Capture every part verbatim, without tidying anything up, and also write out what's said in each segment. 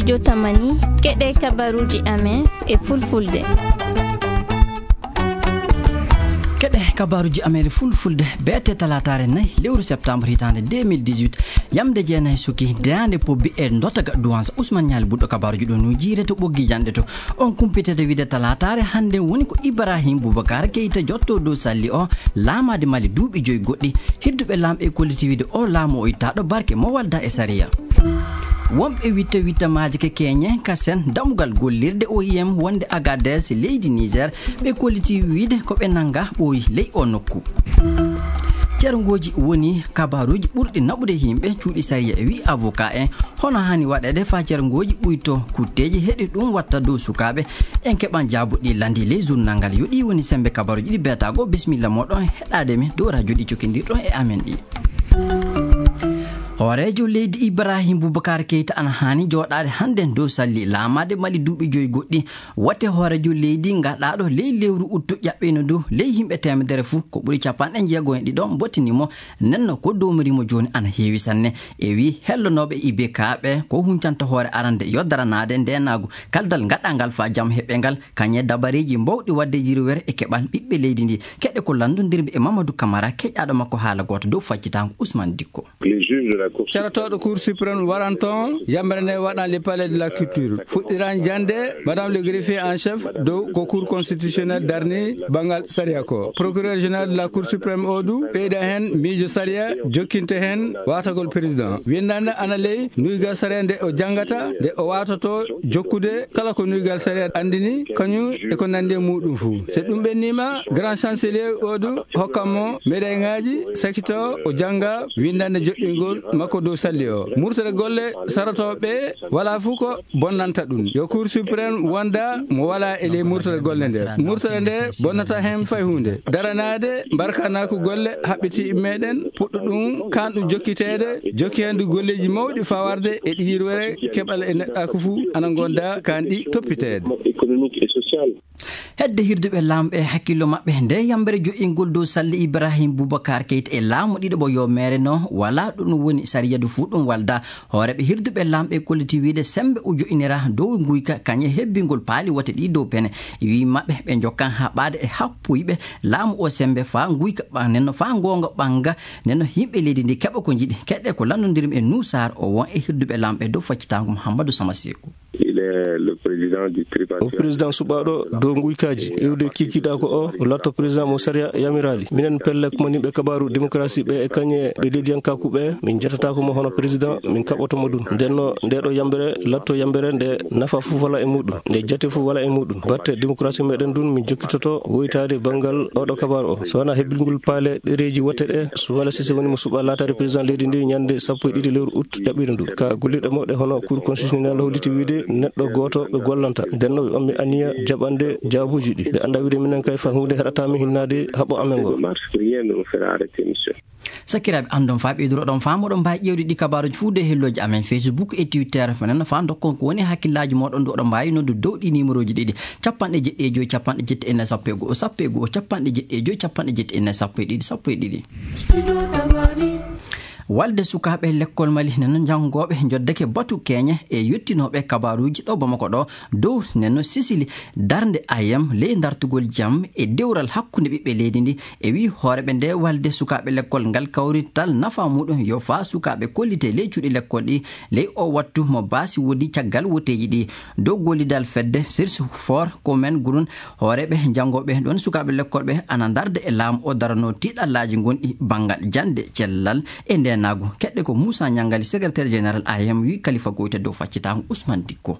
Jotamani, keɗe kabaruuji amen e fulfulde. Keɗe kabaruuji amen e fulfulde, beete talaataare nayi lewru septembre hitaande deux mille dix-huit, yamde jeenayi suki, daande pobbi e ndotaga duwansa. Ousmane Ñaali Buddo kabaruuji ɗo no jiire to ɓoggi janɗe to. On kumpitete wiide talaataare hannde woni ko Ibrahim Boubacar Keita jotto dow salli o, laamaade Mali duuɓi joyi goɗɗi. Hirduɓe laamɓe e kolliti wiide o laamu o ittaaɗo barke mo walda e sariya. Wonɓe witta witta maaje ke keñe ka sen damugal gollirde O I M wonde Agadez leydi Niger, ɓe kolliti wiide ko ɓe nanga ɓooyi ley o nokku. Cerngooji woni kabaruuji ɓurɗi naɓude yimɓe cuuɗi sariya e wi avocat en. Hono haani waɗeede faa cerngooji ɓuyto kutteeji heɗi ɗum watta dow sukaaɓe? En keɓan jaabuɗi landi ley journal ngal. Yo ɗi woni sembe kabaruuji ɗi beetaago. Bisimilla moɗon heɗaade mi dow radio ɗi cokindirɗon e amen ɗi. Hooreejo leydi Ibrahim Boubacar Keita ana haani jooɗaade hannde dow salli laamaade Mali duuɓi joyi goɗɗi. Wote hooreejo leydi ngaɗaaɗo ley lewru uttu ƴaɓɓino ndu ley yimɓe teemedere fuu ko ɓuri capanɗe jeego e ɗiɗo mbottini mo. Nenno ko doomirimo jooni ana heewi sanne. E wi hellonooɓe I B K ɓe ko huncanta hoore arande yo daranaade ndeenaagu kaldal ngaɗangal faa jam heɓe ngal kañe dabareeji mbawɗi waɗde yirwere e keɓal ɓiɓɓe leydi ndi. Keɗe ko lanndondirmi e Mamadou Camara keƴaaɗo makko haala gooto dow faccitaango Ousmane Dikko. Carotooɗo Cour suprême waranto on yamre nde waɗan le palais de la culture. Fuɗɗiran jannde madame le greffier en chef dow ko Cour constitutionnelle darni banngal sariya ko. Procureur général de la Cour suprême o du ɓeyda heen miijo sariya jokkinte heen waatagol président. Winndande ana ley nuygal sariya nde o janngata nde o waatoto jokkude kala ko nuygal sariya anndini kañum e ko nanndi e muɗum fuu. So ɗum ɓennima grand chancelier o du hokkan mo médaille ŋaaji sakito o jannga winndande joɗɗingol makko dow salli o. Murtere golle sarotooɓe wala fuu ko bonnanta ɗum. Yo Cour suprême wonda mo wala e ley murtere golle nde. Murtere nde bonnata heen fay huunde. Daranaade mbarkanaaku golle haɓɓiti meɗen puɗɗo ɗum kanɗum jokkiteede jokki heen du golleeji mawɗi fawarde e ɗi yirwere keɓal e neɗɗaaku fuu ana gonda kanɗi toppiteede. Hedde hirduɓe laamɓe e hakkillo maɓɓe nde yambere jo'ingol dow salli Ibrahim Boubacar Keita e laamu ɗiɗo ɓo yo meere no wala ɗum woni sariyadu fuu ɗum walda. Hooreeɓe hirduɓe laamɓe e kolliti wiide sembe o jo'inira dow nguyka kañe hebbingol paali wote ɗi dow pene. Wi maɓɓe ɓe jokkan haɓaade e happuyɓe laamu o sembe faa nguyka ɓa-, nenno faa ngoonga ɓanga nenno yimɓe leydi ndi keɓa ko njiɗi. Keɗe ko lanndondirmi e Nuusaar o won e hirduɓe laamɓe dow faccitaango Mouhamadou Samaseeku. Il est le président du tripartite. O président suɓaaɗo dow nguykaaji iwde kiikiiɗaa ko o, o latto président mo sariya yamiraali. Minen pelle ko moni ɓe kabaaru démocratie ɓe e kañe ɓe leydiyankaaku ɓe, min jatataako mo hono président, min kaɓoto mo ɗum. Nden no nde ɗo yambere latto yambere nde nafa fof wala e muɗum, nde jate fof wala e muɗum. Batte démocratie meɗen ɗum min jokkitoto woytaade banngal oɗo kabaaru o. So wona hebbingol paale ɗereeji wote ɗe, so wala sise woni mo suɓa laataade président leydi ndi ñande sappo e ɗiɗi lewru août. Jaɓɓiiɗo ndu ka gollirɗe mawɗe hono Cour constitutionnelle holliti wiide neɗɗo gooto ɓe gollanta. Nden no ɓe ɓammi aniya jaɓande jaabuuji ɗi. Ɓe annda wiide minen kay fa huunde heɗata min hinnaade haɓo amen ngo. Mars, rien ne nous fera arrêter, monsieur. Sakiraaɓe, anndon faa ɓeyduroɗon faa moɗon mbaawi ƴeewde ɗi kabaaruuji fuu de hellooji amen Facebook e Twitter. Fenen faa ndokkon ko woni hakkillaaji moɗon du oɗon mbaawi noddu dow ɗi numéroji ɗiɗi. Capanɗe jeɗɗi e joyi, capanɗe jeɗɗi e nayi, sappo e go'o, sappo e go'o, capanɗe jeɗɗi e joyi, capanɗe jeɗɗi e nayi, sappo e ɗiɗi, sappo e ɗiɗi. Walde sukaaɓe lekkol Mali neno janngooɓe njoddeke batu keeñe e yottinooɓe kabaaruuji ɗo Bamako ɗo dow neno Sisili darnde I M ley dartugol jam e dewral hakkunde ɓiɓɓe leydi ndi. E wi hooreeɓe nde walde sukaaɓe lekkol ngal kawrital nafa muɗum yo faa sukaaɓe kollite ley cuuɗi lekkol ɗi ley o wattu mo baasi woodi caggal woteeji ɗi. Dow gollidal fedde Sirsi For Komen Gurun, hooreeɓe janngooɓe ɗon sukaaɓe lekkol ɓe ana ndarde e laamu o darano tiiɗallaaji gonɗi banngal jannde cellal e ndeenaagu. Keɗɗe ko Moussa Niangali, secrétaire général I M, wi Kalifa Goyta dow faccitaango Ousmane Dikko.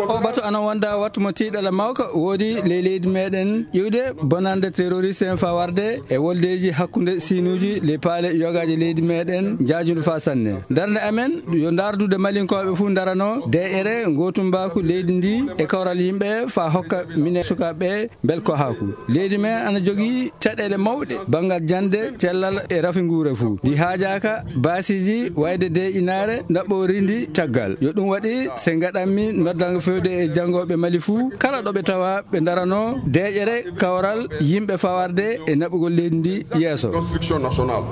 O batu ana wonda wattu mo tiiɗalla mawka woodi ley leydi meɗen iwde bonande terroriste en faa warde e woldeeji hakkunde siinuuji ley paale yogaaji leydi meɗen njaajundu faa sanne. Darnde amen yo ndardude Malinkooɓe fuu ndarano deeƴere ngootumbaaku leydi ndi e kawral yimɓe faa hokka minen sukaaɓe mbelkohaaku. Leydi men ana jogii caɗeele mawɗe banngal jannde, cellal e rafi nguure fuu. Ndi haajaaka baasiiji wayde deeƴinaare ndaɓɓoori ndi caggal. Yo ɗum waɗi se ngaɗanmi noddango fewde e janngooɓe Mali fuu, kala ɗo ɓe tawa ɓe ndarano deeƴere kawral yimɓe fawarde e naɓugol leydi ndi yeeso. Construction nationale.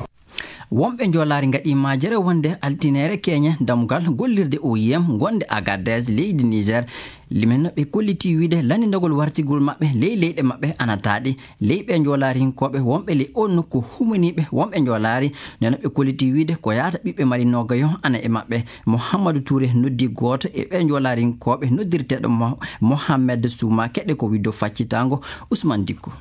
Wonɓe njoolaari ngaɗii maajere wonde altineere keñe dammugal gollirde O I M ngonde Agadez, leydi Niger. Limen no ɓe kolliti wiide lanndindagol wartigol maɓɓe ley leyɗe maɓɓe ana taaɗi. Ley ɓe njoolaarinkooɓe wonɓe ley oo nokku humaniiɓe wonɓe njoolaari, nden no ɓe kolliti wiide ko yaata ɓiɓɓe Mali noogayo ana e maɓɓe. Mouhamadou Touré noddi gooto e ɓe njoolaarinkooɓe noddirteeɗo Mo-, Mohamed Souma, keɗe ko widdo faccitaango Ousmane Dicko.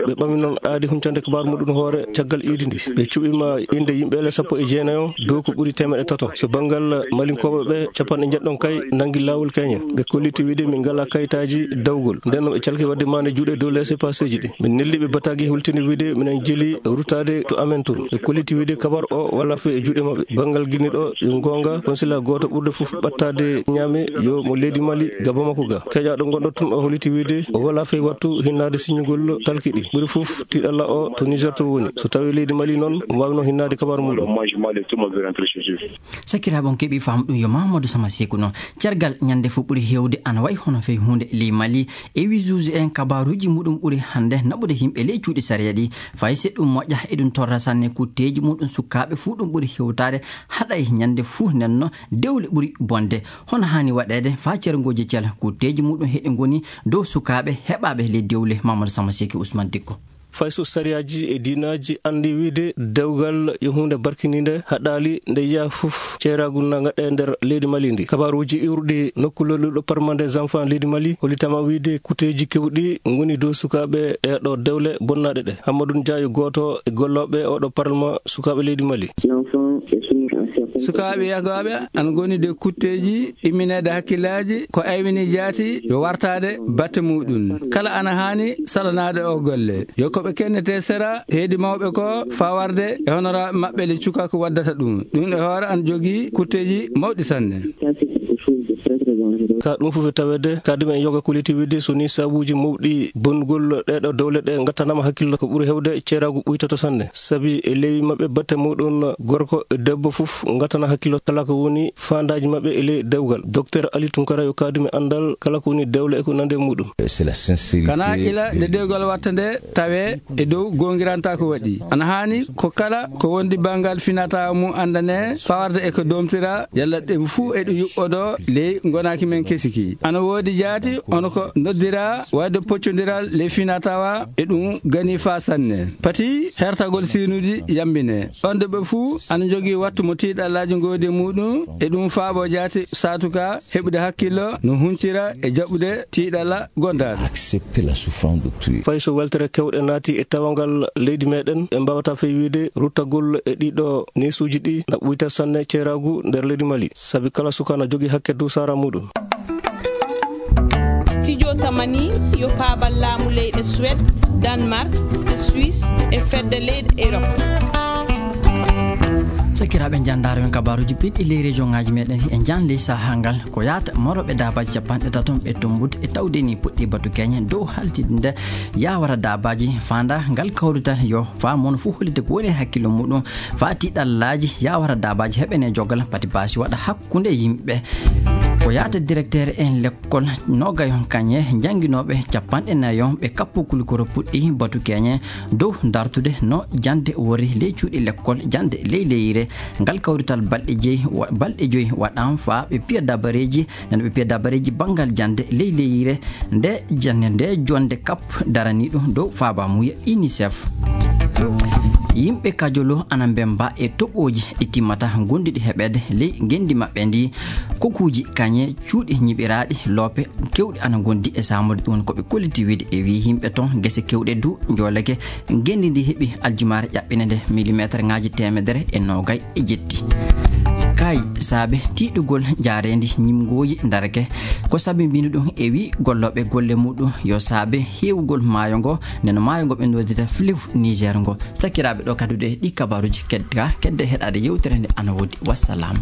Ɓe ɓami noon aadi huncande kabaaru muɗum hoore caggal iidi ndi. Ɓe cuɓima innde yimɓe ele sappo e jeenayo dow ko ɓuri teemeɗɗe tato. So banngal Malinkooɓe ɓe, capanɗe njeɗɗon kay nanngi laawol keñe. Ɓe kolliti wiide min ngalaa kayitaaji dawgol. Nden noon ɓe calki waɗde maande juuɗe dow laissez-passer ji ɗi. Min neldi ɓe bataaji hultini wiide minen jeli ruttaade to amen to. Ɓe kolliti wiide kabar o wala fe e juuɗe maɓɓe. Banngal Guinée ɗo, yo ngoonga, consulat gooto ɓurɗo fof ɓattaade Niamey, yo mo leydi Mali ga Bamako ga. Keƴaaɗo gonɗo toon o holliti wiide o wala fey wattu hinnaade siññugol talki ɗi. Ɓuri fof tiiɗalla o to Niger to woni. So tawii leydi Mali noon, omo waawi noon hinnaade kabar muɗum. Sakiraaɓe, on keɓii faamu ɗum yo Mamadou Sama Seku noon. Cergal ñande fof ɓuri heewde ana wayi hono fey huunde ley Mali. E wisuuji en kabaaruuji muɗum ɓuri hannde naɓude yimɓe ley cuuɗi sariya ɗi. Fay si ɗum moƴƴa, eɗum torra sanne kutteeji muɗum sukaaɓe fuu ɗum ɓuri hewtaade haɗay ñande fuu nenno dewle ɓuri bonde. Hono haani waɗeede faa cerngooji cel kutteeji muɗum heɗi ngoni dow sukaaɓe heɓaaɓe ley dewle Mamadou Sama Seki Ousmane Dikko. Fay so sariyaaji e diinaaji anndi wiide dewgal yo huunde barkiniinde haɗaali nde yiyaa fof ceeraagu na ngaɗee nder leydi Mali ndi. Kabaaruuji iwruɗi nokku lolluɗo Parlement des enfants leydi Mali hollitama wiide kuteeji kewɗi ngoni dow sukaaɓe ɗee ɗo dewle bonnaaɗe ɗe. Hammadou Ndiaye gooto e gollooɓe oɗo Parlement sukaaɓe leydi Mali. Sukaaɓe yahgaaɓe ana ngoni de kutteeji immineede hakkillaaji ko aywini jaati yo wartaade batte muɗum. Kala ana haani salanaade o golle. Yo ko ɓe kennete sera heedi mawɓe ko fawarde e honoraaɓe maɓɓe le cukaaku waddata ɗum. Ɗum e hoore ana jogii kutteeji mawɗi sanne. Ka ɗum fof e taweede, kadi men yoga ko leti wiide so ni sabuuji mawɗi bonnugol ɗee ɗo dewle ɗe ngattanama hakkillo ko ɓuri hewde ceeraagu ɓuytoto sanne. Sabi e lewi maɓɓe batte muɗum gorko e debbo fof ngattana hakkillo kala ko woni faandaaji maɓɓe e ley dewgal. Docteur Ali Tunkara yo kaadumi anndal kala ko woni dewle e ko nande muɗum. C'est la sincérité. Kana ila nde dewgal watta nde tawe e dow goongiranta ko waɗi. Ana haani ko kala ko wondi banngal finata mum anndane fawarde e ko domtira yalla ɗum fuu e ɗum yuɓɓodo ley ngonaaki men kesiki. Ana woodi jaati ono ko noddira waɗde poccondiral ley finatawa e ɗum gani faa sanne. Pati hertagol sinuuji yambine. On de ɓe fuu ana jogii wattu mo tiiɗallaaji ngoodi muɗum e ɗum faabo jaati saatuka heɓude hakkillo no huncira e jaɓude tiiɗalla gondaaɗo. Accepter la souffrance d'autrui. Fay so weltere kewɗe naati e tawangal leydi meɗen, ɓe mbawata fey wiide ruttagol e ɗiɗo neesuuji ɗi na ɓuyta sanne ceeraagu nder leydi Mali. Sabi kala suka na jogii hakke dow sara muɗum. Studio Tamani yo paabal laamu leyɗe Suède, Danemark, Suisse e fedde leyɗe Europe. Sakiraaɓe, njanndaaro men kabaaruuji piɗɗi ley région ŋaaji meɗen e njaan ley sahaa ngal. Ko yaata morooɓe daabaaji capanɗe tato ɓe tombut e tawde ni puɗɗi batu keñe dow haltinde nde yaawara daabaaji faanda ngal kawrital yo faa mon fof hollita ko woni e hakkille muɗum faa tiiɗallaaji yaawara daabaaji heɓene jogal pati baasi waɗa hakkunde yimɓe. Ko yaata directeur en lekkol nogayon kañe njannginooɓe capanɗe nayo ɓe kappo kulikoro puɗɗi batu keñe dow dartude no jannde wori ley cuuɗi lekkol jannde ley leyre. Ngal kawrital balɗe jeyi wa-, balɗe joyi waɗaama faa ɓe piya dabareeji, nana ɓe piya dabareeji banngal jannde ley leyre nde jannde nde jonnde kap daraniiɗo dow faabaamuya UNICEF. Yimɓe Kajolo ana mbemba e toɓooji ɗi timmata gonduɗi heɓeede ley ngenndi maɓɓe ndi. Kokuuji kañe cuuɗi ñiɓiraaɗi loope kewɗi ana ngondi e saamude ɗum ko ɓe kolliti wiide e wii yimɓe toon gese kewɗe du njooleke. Ngenndi ndi heɓi aljumaare ƴaɓɓinande millimetre ŋaaji teemedere e noogay e jetti. Kay saabe tiiɗugol njaareendi ñimngooji ndarake ko sabi mbino ɗum e wii gollooɓe golle muɗum yo saabe heewugol maayo ngo, nden maayo ngo ɓe noddita fleuve Niger ngo. Sakiraaɓe, ɗo kaddude ɗi kabaaruuji kedda, kedde heɗaade yewtere nde ana woodi. Wassalam.